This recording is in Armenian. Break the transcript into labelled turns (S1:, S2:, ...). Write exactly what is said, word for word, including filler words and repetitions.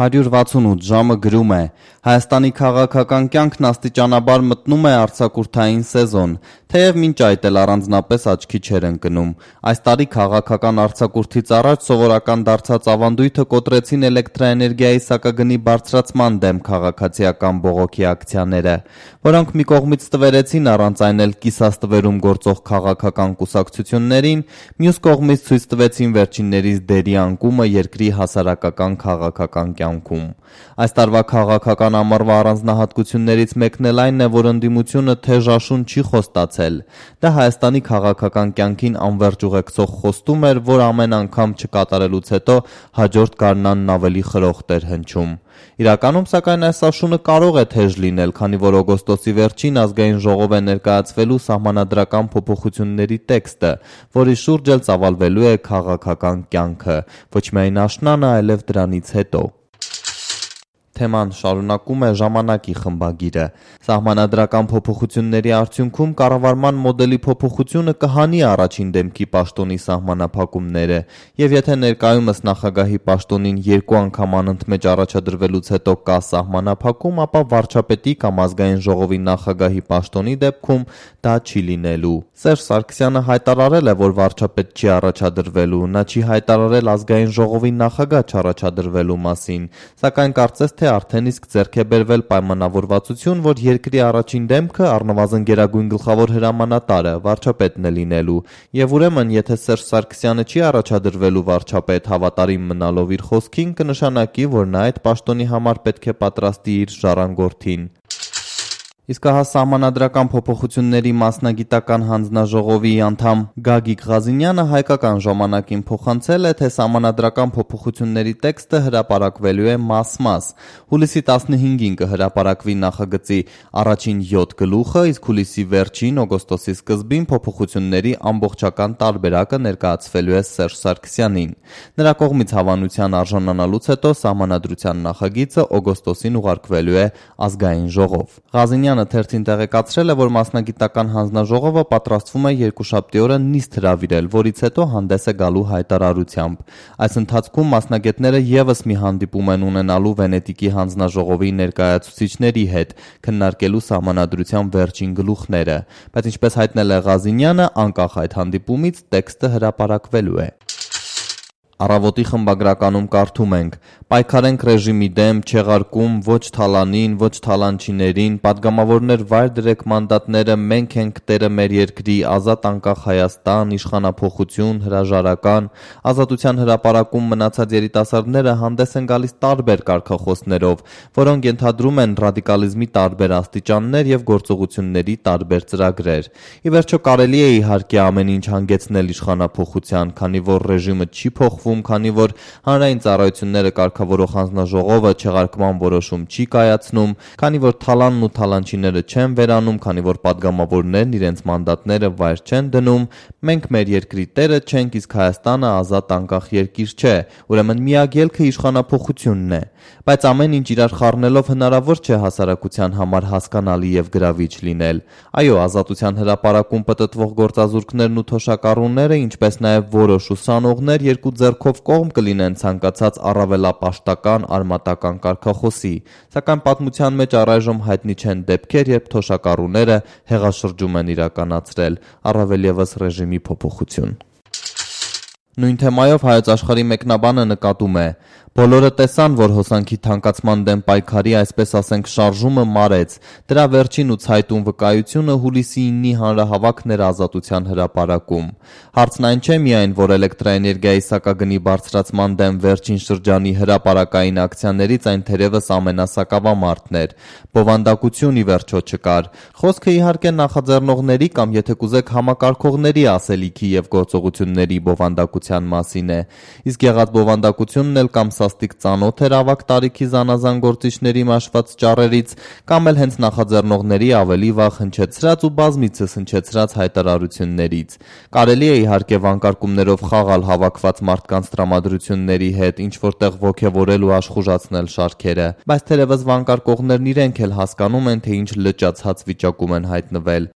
S1: հարյուր վաթսունութ ժամը գրում է. Հայաստանի քաղաքական կյանքն աստիճանաբար մտնում է արձակուրդային սեզոն, թեև մինչ այդ էլ առանձնապես աչքի չէր ընկնում։ Այս տարի քաղաքական արձակուրդից առաջ սովորական դարձած ավանդույթը կոտրեցին էլեկտրաէներգիայի սակագնի բարձրացման դեմ քաղաքացիական բողոքի ակցիաները, որոնք մի կողմից տվերեցին առանց այն էլ կիսաստվերում գործող քաղաքական կուսակցություններին, մյուս կողմից ցույց տվեցին վերջիններիս դերի անկումը երկրի հասարակական քաղաքական կյանքում։ Այս տարվա քաղաքական ամառվա առանձնահատկություններից մեկն էլ այն է, որ ընդդիմությունը թեժաշուն չի խոստացել։ Դա Հայաստանի քաղաքական կյանքին անվերջ ուղեկցող խոստում էր, որ ամեն անգամ չկատարելուց հետո հաջորդ գարնանն ավելի խրոխտ էր հնչում։ Իրականում, սակայն, այս աշունը կարող է թեժ լինել, քանի որ օգոստոսի վերջին ազգային ժողով է ներկայացվելու սահմանադրական փոփոխությունների տեքստը, որի շուրջ էլ ծավալվելու է քաղաքական կյանքը, ոչ միայն աշնանը, այլև դրանից հետո։ Թեման շարունակում է ժամանակի խմբագիրը։ Սահմանադրական փոփոխությունների արդյունքում կառավարման մոդելի փոփոխությունը կհանի առաջին դեմքի պաշտոնի սահմանափակումները, եւ եթե ներկայումս նախագահի պաշտոնին երկու անգամ անընդմեջ առաջադրվելուց հետո կա սահմանափակում, ապա վարչապետի կամ ազգային ժողովի նախագահի պաշտոնի դեպքում դա չի լինելու։ Սերժ Սարգսյանը հայտարարել է, որ վարչապետ չի առաջադրվելու, նա չի հայտարարել ազգային ժողովի նախագահ չառաջադրվելու մասին, սակայն կարծես թե արդեն իսկ ձեռք է բերվել պայմանավորվածություն, որ երկրի առաջին դեմքը առնվազն գերագույն գլխավոր հրամանատարը վարչապետն է լինելու, եւ ուրեմն եթե Սերժ Սարգսյանը չի առաջադրվելու վարչապետ հավատարիմ մնալով իր խոսքին, կնշանակի, որ նա այդ պաշտոնի համար պետք է պատրաստի իր ժառանգորդին։ Իսկ ահա սահմանադրական փոփոխությունների մասնագիտական հանձնաժողովի անդամ Գագիկ Ղազինյանը հայկական ժամանակին փոխանցել է, թե սահմանադրական փոփոխությունների տեքստը հրապարակվելու է մաս-մաս։ Հուլիսի տասնհինգին կհրապարակվի նախագծի առաջին յոթ գլուխը, իսկ հուլիսի վերջին, օգոստոսի սկզբին փոփոխությունների ամբողջական տարբերակը ներկայացվելու է Սերժ Սարգսյանին։ Նրա կողմից հավանության արժանանալուց հետո սահմանադրության նախագիծը օգոստոսին ուղարկվելու է ազգային ժողով։ Ղազինյանը թերթին տեղեկացրել է, որ մասնագիտական հանձնաժողովը պատրաստվում է երկուշաբթի օրը նիստ հրավիրել, որից հետո հանդես է գալու հայտարարությամբ։ Այս ընթացքում մասնագետները եւս մի հանդիպում են ունենալու Վենետիկի հանձնաժողովի ներկայացուցիչների հետ, քննարկելու սահմանադրության վերջին գլուխները, բայց ինչպես հայտնել է Ղազինյանը, անկախ այդ հանդիպումից տեքստը հրապարակվելու է։ Առավոտի խմբագրականում կարդում ենք. պայքարենք ռեժիմի դեմ, չեղարկում ոչ թալանին, ոչ թալանչիներին, падգամավորներ վայր դրեք մանդատները, մենք ենք տերը մեր երկրի, ազատ անկախ Հայաստան, իշխանափոխություն, հրաժարական, ազատության հրապարակում մնացած երիտասարդները հանդես են գալիս տարբեր կարգախոսներով, որոնք ենթադրում են ռադիկալիզմի տարբեր աստիճաններ եւ գործողությունների տարբեր ծրագրեր։ Ի վերջո կարելի է իհարկե ամեն ինչ հանգեցնել իշխանափոխության, քանի որ ռեժիմը չի փոխվում, քանի որ հանրային ծառայությունները կարգավորող հանձնաժողովը չեղարկման որոշում չի կայացնում, քանի որ թալանն ու թալանչիները չեն վերանում, քանի որ падգամավորներն իրենց մանդատները վայր չեն դնում, մենք մեր երկրի տերը չենք, իսկ Հայաստանը ազատ անկախ երկիր չէ, ուրեմն միակ ելքը իշխանափոխությունն է։ Բայց ամեն ինչ իրար խառնելով հնարավոր չէ հասարակության համար հասկանալի եւ գրավիչ լինել։ Այո, ազատության հրապարակում պտտվող գործազուրկներն ու թոշակառուները, ինչպես նաեւ որոշ ուսանողներ երկու ձեռքով կողմ կլինեն ցանկացած առավելապաշտական արմատական կարգախոսի, սակայն պատմության մեջ առայժմ հայտնի չեն դեպքեր, երբ թոշակառուները հեղաշրջում են իրականացրել, առավել ևս ռեժիմի փոփոխություն։ Նույն թեմայով Հայոց Աշխարհի մեկնաբանը նկատում է. բոլորը տեսան, որ հոսանքի թանկացման դեմ պայքարի, այսպես ասենք, շարժումը մարեց, դրա վերջին ու ցայտուն վկայությունը հուլիսի իննի հանրահավաքն էր Ազատության հրապարակում։ Հարցն այն չէ միայն, որ էլեկտրաէներգիայի սակագնի բարձրացման դեմ վերջին շրջանի հրապարակային ակցիաներից այն թերևս ամենասակավամարտն էր, բովանդակություն ի վերջո չկար։ Խոսքը իհարկե նախաձեռնողների կամ եթե կուզեք համակարգողների ասելիքի եւ գործողությունների բովանդակության մասին է, իսկ եղած բովանդակությունն էլ կամ սաստիկ ծանոթ էր ավագ տարիքի զանազան գործիչների մաշված ճառերից, կամ էլ հենց նախաձեռնողների ավելի վաղ հնչեցրած ու բազմիցս հնչեցրած հայտարարություններից։ Կարելի է իհարկե վանկարկումներով խաղալ հավաքված մարդկանց տրամադրությունների հետ, ինչ որտեղ ոգևորել ու աշխուժացնել շարքերը, բայց թերևս վանկարկողներն իրենք էլ հասկանում են, թե ինչ լճացած վիճակում են հայտնվել։